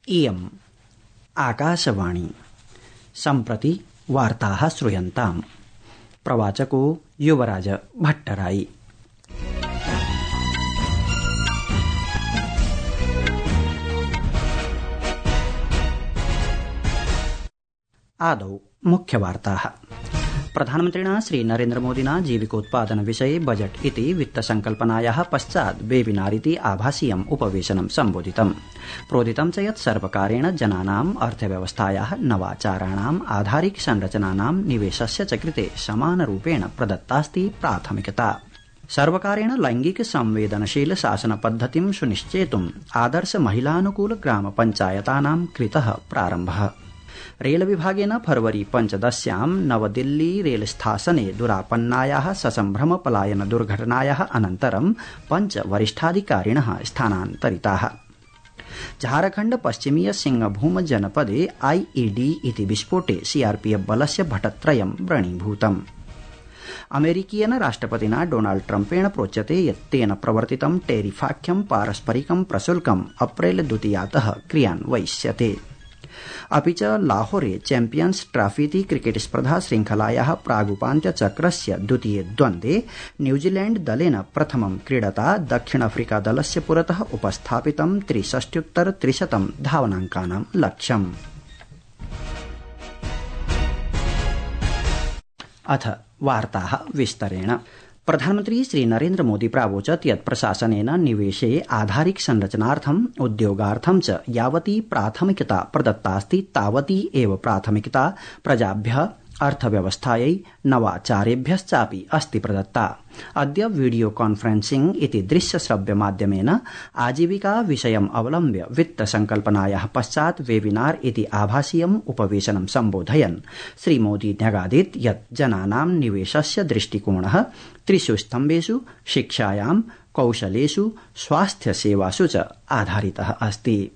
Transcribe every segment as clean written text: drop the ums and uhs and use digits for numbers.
इयम् आकाशवाणी सम्प्रति वार्ताः श्रूयन्ताम्। प्रवाचको युवराज भट्टराई। आदौ मुख्यवार्ताः। प्रधानमन्त्रिणा श्री नरेन्द्रमोदिना जीविकोत्पादन विषये बजट इति वित्तसंकल्पनायाः पश्चात् वेबिनार इति आभासीयम् उपवेशनं सम्बोधितम्। प्रोदितं च यत् सर्वकारेण जनानाम् अर्थव्यवस्थायाः नवाचाराणाम् आधारिक संरचनानां निवेशस्य च कृते समानरूपेण प्रदत्तास्ति प्राथमिकता। सर्वकारेण लैंगिक संवेदनशील शासन पद्धतिं सुनिश्चेतुम् आदर्श महिलानुकूल ग्राम पंचायतानां कृतः प्रारम्भः। रेल विभागेन फरवरी 15 नवदिल्ली रेलस्थासने दुरापन्नायाः ससम्भ्रम पलायन दुर्घटनायाः अनन्तरं 5 वरिष्ठाधिकारिणः स्थानान्तरिताः। झारखण्ड पश्चिमीय सिंहभूम जनपदे आईईडी इति विस्फोटे सीआरपीएफ बलस्य भटत्रयं व्रणीभूतम्। अमेरिकीयेन राष्ट्रपतिना डोनाल्ड ट्रम्पेण प्रोच्यते यत् तेन प्रवर्तितं टेरिफाख्यं पारस्परिकं प्रशुल्कम् अप्रैल 2 क्रियान्वयिष्यते। अपि च लाहौरे चैम्पियन्स ट्रॉफीति क्रिकेट स्पर्धा श्रृंखलायाः प्रागुपान्त्यचक्रस्य द्वितीये द्वन्द्वे न्यूजीलैंड दलेन प्रथमं क्रीडता दक्षिण अफ्रीका दलस्य पुरतः उपस्थापितं 63-300 धावनाङ्कानां लक्ष्यम्। अथ वार्ताः विस्तरेण। प्रधानमन्त्री श्री नरेन्द्र मोदी प्रावोचत् यत् प्रशासनेन निवेशे आधारिक संरचनार्थम् उद्योगार्थं च यावती प्राथमिकता प्रदत्तास्ति तावती एव प्राथमिकता प्रजाभ्यः अर्थव्यवस्थायै नवाचारेभ्यश्चापि अस्ति प्रदत्ता। अद्य वीडियो कॉन्फ्रेंसिंग इति दृश्य श्रव्य माध्यमेन आजीविका विषयम् अवलम्ब्य वित्त संकल्पनायाः पश्चात् वेबिनार इति आभासीयम् उपवेशनं सम्बोधयन् श्री मोदी न्यगादीत् यत् जनानां निवेशस्य दृष्टिकोणः 3 स्तम्भेषु शिक्षायां, कौशलेषु, स्वास्थ्य सेवासु च आधारितः अस्ति।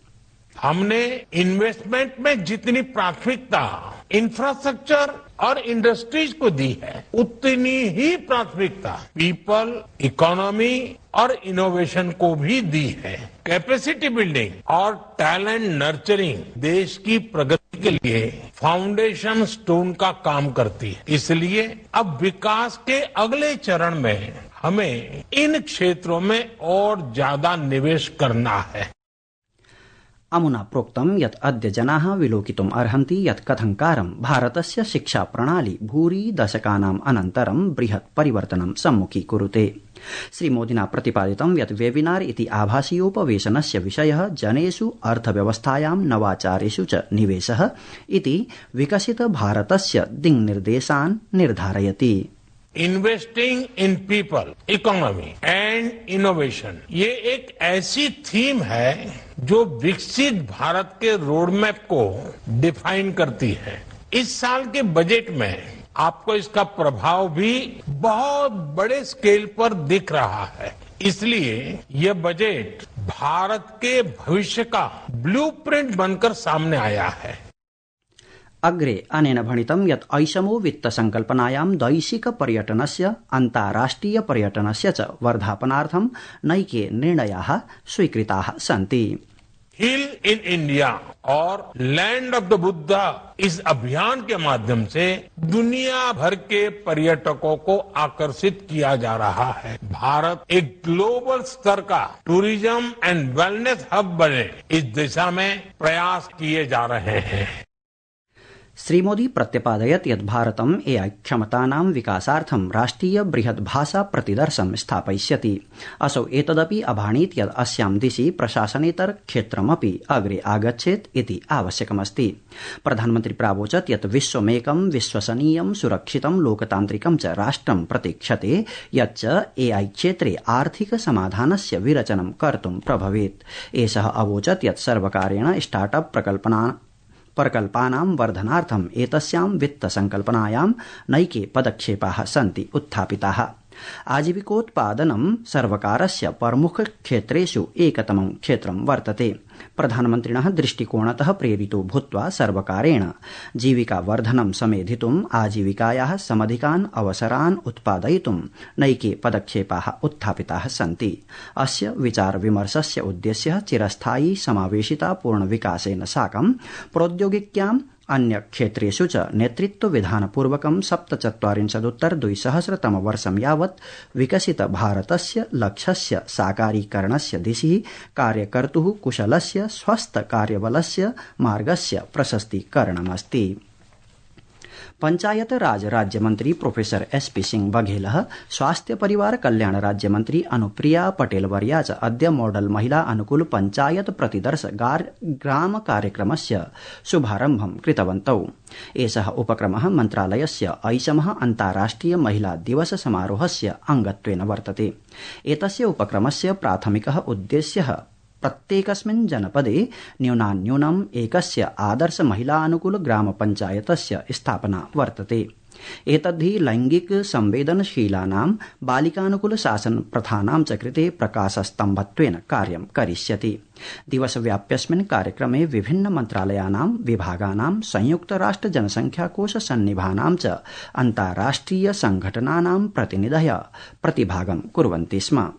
हमने इन्वेस्टमेंट में जितनी प्राथमिकता इंफ्रास्ट्रक्चर और इंडस्ट्रीज को दी है, उतनी ही प्राथमिकता पीपल, इकोनॉमी और इनोवेशन को भी दी है। कैपेसिटी बिल्डिंग और टैलेंट नर्चरिंग देश की प्रगति के लिए फाउंडेशन स्टोन का काम करती है। इसलिए अब विकास के अगले चरण में हमें इन क्षेत्रों में और ज्यादा निवेश करना है। अमुना प्रोक्तं यत् अद्य जनाः विलोकितुम् अर्हन्ति यत् कथंकारं भारतस्य शिक्षा प्रणाली भूरि दशकानाम् अनन्तरं बृहत् परिवर्तनं सम्मुखीकुरुते। श्री मोदिना प्रतिपादितं यत् वेबिनार इति आभासीयोपवेशनस्य विषयः जनेषु अर्थव्यवस्थायां नवाचारेषु च निवेशः इति विकसित भारतस्य दिङ्निर्देशान् निर्धारयति। Investing in people, economy and innovation ये एक ऐसी थीम है जो विकसित भारत के रोड मैप को डिफाइन करती है। इस साल के बजट में आपको इसका प्रभाव भी बहुत बड़े स्केल पर दिख रहा है। इसलिए यह बजट भारत के भविष्य का ब्लूप्रिंट बनकर सामने आया है। अग्रे अनेन भणितं यत् ऐषमो वित्त संकल्पनायां दैशिक पर्यटनस्य, अन्ताराष्ट्रिय पर्यटनस्य च वर्धापनार्थं नैके निर्णयाः स्वीकृताः सन्ति। हिल इन इंडिया और लैंड ऑफ द बुद्धा इस अभियान के माध्यम से दुनिया भर के पर्यटकों को आकर्षित किया जा रहा है। भारत एक ग्लोबल स्तर का टूरिज्म एंड वेलनेस हब बने, इस दिशा में प्रयास किए जा रहे हैं। श्री मोदी प्रत्यपादयत् यत् भारतम् एआई क्षमतानां विकासार्थं राष्ट्रिय बृहत् भाषा प्रतिदर्शं स्थापयिष्यति। असौ एतदपि अभाणीत् यत् अस्यां दिशि प्रशासनेतर क्षेत्रमपि अग्रे आगच्छेत् इति आवश्यकमस्ति। प्रधानमन्त्री प्रावोचत् यत् विश्वमेकं विश्वसनीयं सुरक्षितं लोकतान्त्रिकं च राष्ट्रं प्रतीक्षते यच्च एआई क्षेत्रे आर्थिक समाधानस्य विरचनं कर्तुं प्रभवेत्। एषः अवोचत् यत् सर्वकारेण स्टार्टअप प्रकल्पानां वर्धनार्थम् एतस्यां वित्त संकल्पनायां नैके पदक्षेपाः सन्ति उत्थापिताः। आजीविकोत्पादनं सर्वकारस्य प्रमुख क्षेत्रेषु एकतमं क्षेत्रं वर्तते। प्रधानमन्त्रिणः दृष्टिकोणतः प्रेरितो भूत्वा सर्वकारेण जीविकावर्धनं समेधितुम् आजीविकायाः समधिकान् अवसरान् उत्पादयितुं नैके पदक्षेपाः उत्थापिताः सन्ति। अस्य विचारविमर्शस्य उद्देश्यः चिरस्थायी समावेशिता पूर्णविकासेन साकं प्रौद्योगिक्याम् अन्य क्षेत्रेषु च नेतृत्वविधानपूर्वकं 47-200 यावत् विकसित भारतस्य लक्ष्यस्य साकारीकरणस्य दिशि कार्यकर्तुः कुशलस्य स्वस्थ कार्यबलस्य मार्गस्य प्रशस्तीकरणमस्ति। पंचायत राज राज्यमंत्री प्रोफेसर एसपी सिंह बघेलः स्वास्थ्य परिवार कल्याण राज्यमंत्री अनुप्रिया पटेल वर्या च अद्य मॉडल महिला अनुकूल पंचायत प्रतिदर्श ग्राम कार्यक्रमस्य शुभारम्भं कृतवन्तौ। एषः उपक्रमः मन्त्रालयस्य 8 अन्ताराष्ट्रिय महिला दिवस समारोहस्य अंगत्वेन वर्तते। एतस्य उपक्रमस्य प्राथमिकः उद्देश्यः प्रत्येकस्मिन् जनपदे न्यूनान्यूनम् एकस्य आदर्श महिलानुकूल ग्राम पंचायतस्य स्थापना वर्तते। एतद्धि लैंगिक संवेदनशीलानां बालिकानुकूल शासन प्रथानां च कृते प्रकाशस्तम्भत्वेन कार्यं करिष्यति। दिवसव्याप्यस्मिन् कार्यक्रमे विभिन्न मन्त्रालयानां विभागानां संयुक्त राष्ट्र जनसंख्याकोश सन्निभानां च अन्ताराष्ट्रिय संघटनानां प्रतिनिधयः प्रतिभागं कुर्वन्ति स्म।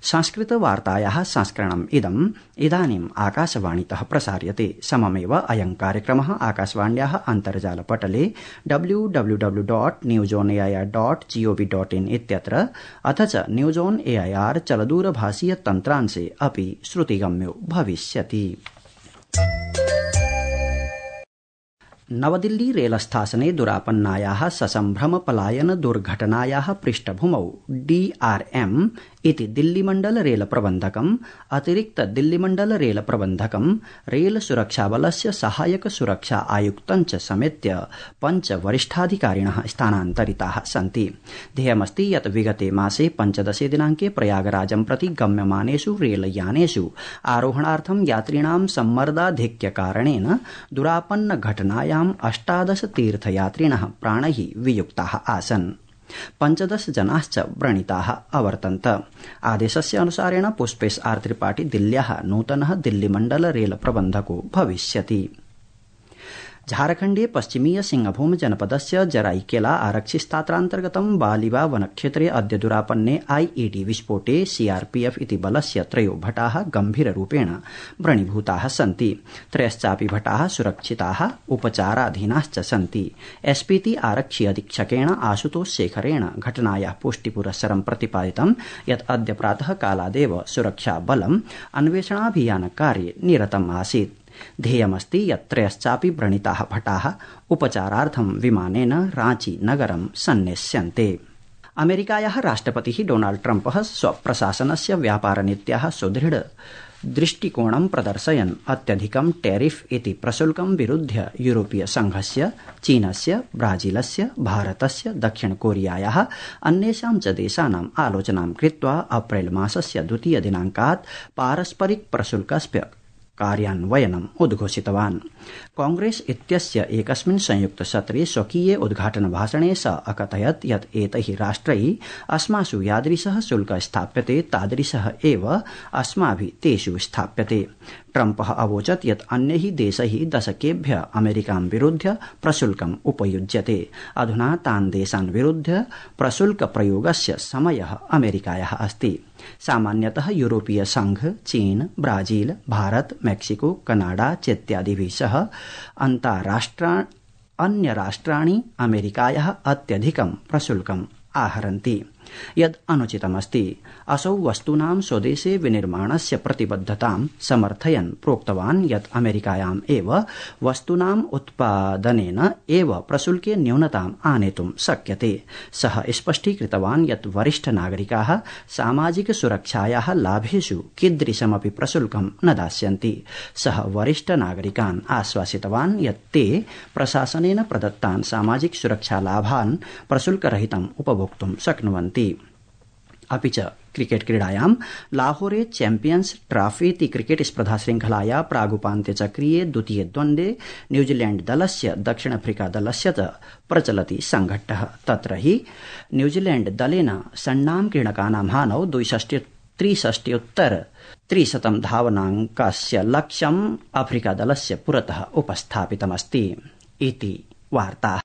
संस्कृत वार्तायाः संस्करणम् इदानीम् आकाशवाणीतः प्रसार्यते। सममेव अयं कार्यक्रमः आकाशवाण्याः अन्तर्जालपटले www.newsonair.gov.in इत्यत्र अथ च न्यूज ऑन एआईआर चलदूरभाषीय तन्त्रांशे अपि श्रुतिगम्यो भविष्यति। नवदिल्ली रेलस्थासने दुरापन्नायाः ससम्भ्रम पलायन दुर्घटनायाः पृष्ठभूमौ DRM इति दिल्लीमण्डल रेल प्रबन्धकम् अतिरिक्त दिल्लीमण्डल रेल प्रबन्धकम् रेल सुरक्षाबलस्य सहायक सुरक्षा आयुक्तं च समेत्य 5 वरिष्ठाधिकारिणः स्थानान्तरिताः सन्ति। ध्येयमस्ति यत् विगते मासे 15 दिनाङ्के प्रयागराजं प्रति गम्यमानेषु रेलयानेषु आरोहणार्थं यात्रिणां सम्मर्दाधिक्यकारणेन दुरापन्न घटनायाम् 18 तीर्थयात्रिणः प्राणैः वियुक्ताः आसन्। 15 जनाश्च व्रणिताः अवर्तन्त। आदेशस्य अनुसारेण पुष्पेश आर त्रिपाठी दिल्ल्याः नूतनः दिल्लीमण्डल रेल प्रबन्धको भविष्यति। झारखण्डे पश्चिमीय सिंहभूम जनपदस्य जराईकेला आरक्षिस्थात्रान्तर्गतं बालिवा वनक्षेत्रे अद्य दुरापन्ने IED विस्फोटे CRPF इति बलस्य 3 भटाः गम्भीररूपेण व्रणीभूताः सन्ति। 3 भटाः सुरक्षिताः उपचाराधीनाश्च सन्ति। SPT आरक्षि अधीक्षकेण आशुतोष शेखरेण घटनायाः पुष्टिपुरस्सरं प्रतिपादितं यत् अद्य प्रातः कालादेव सुरक्षाबलम् अन्वेषणाभियानकार्ये निरतम् आसीत्। ध्येयमस्ति यत् 3 व्रणिताः भटाः उपचारार्थं विमानेन रांची नगरं सन्नेष्यन्ते। अमेरिकायाः राष्ट्रपतिः डोनाल्ड ट्रम्पः स्वप्रशासनस्य व्यापारनीत्याः सुदृढ दृष्टिकोणं प्रदर्शयन् अत्यधिकं टैरिफ इति प्रशुल्कं विरुध्य यूरोपीय संघस्य, चीनस्य, ब्राजीलस्य, भारतस्य, दक्षिण कोरियायाः अन्येषां च देशानाम् आलोचनां कृत्वा अप्रैल मासस्य 2 दिनाङ्कात् पारस्परिक प्रशुल्कस्य कार्यान्वयनम् उद्घोषितवान्। कांग्रेस इत्यस्य एकस्मिन् संयुक्त सत्रे स्वकीये उद्घाटन भाषणे स अकथयत् यत् एतैः राष्ट्रैः अस्मासु यादृशः शुल्क स्थाप्यते तादृशः एव अस्माभिः तेषु स्थाप्यते। ट्रम्पः अवोचत् यत् अन्यैः देशैः दशकेभ्यः अमेरिकां विरुध्य प्रशुल्कम् उपयुज्यते। अधुना तान् देशान् विरुध्य प्रशुल्क प्रयोगस्य समयः अमेरिकायाः अस्ति। सामान्यतः यूरोपीय संघ, चीन, ब्राजील, भारत, मेक्सिको, कनाडा चेत्यादिभिः सह अन्य राष्ट्राणि अमेरिकायाः अत्यधिकं प्रशुल्कम् आहरन्ति। यद् अनुचितमस्ति। असौ वस्तूनां स्वदेशे विनिर्माणस्य प्रतिबद्धतां समर्थयन् प्रोक्तवान् यत् अमेरिकायाम् एव वस्तूनाम् उत्पादनेन एव प्रशुल्के न्यूनताम् आनेतुं शक्यते। सः स्पष्टीकृतवान् यत् वरिष्ठ नागरिकाः सामाजिक सुरक्षायाः लाभेषु कीदृशमपि प्रशुल्कं न दास्यन्ति। सः वरिष्ठ नागरिकान् आश्वासितवान् यत् ते प्रशासनेन प्रदत्तान् सामाजिक सुरक्षालाभान् प्रशुल्करहितम् उपभोक्तुं शक्नुवन्ति। अपि च क्रिकेट क्रीडायां लाहौरे चैम्पियन्स ट्रॉफीति क्रिकेट स्पर्धा श्रृंखलाया प्रागुपान्त्यचक्रीये द्वितीये द्वन्द्वे न्यूजीलैण्ड दलस्य दक्षिण अफ्रीका दलस्य च प्रचलति संघट्टः। तत्र हि न्यूजीलैण्ड दलेन षण्णां क्रीडकानां हानौ 63 धावनाङ्कस्य लक्ष्यम् अफ्रीका दलस्य पुरतः उपस्थापितमस्ति। इति वार्ता।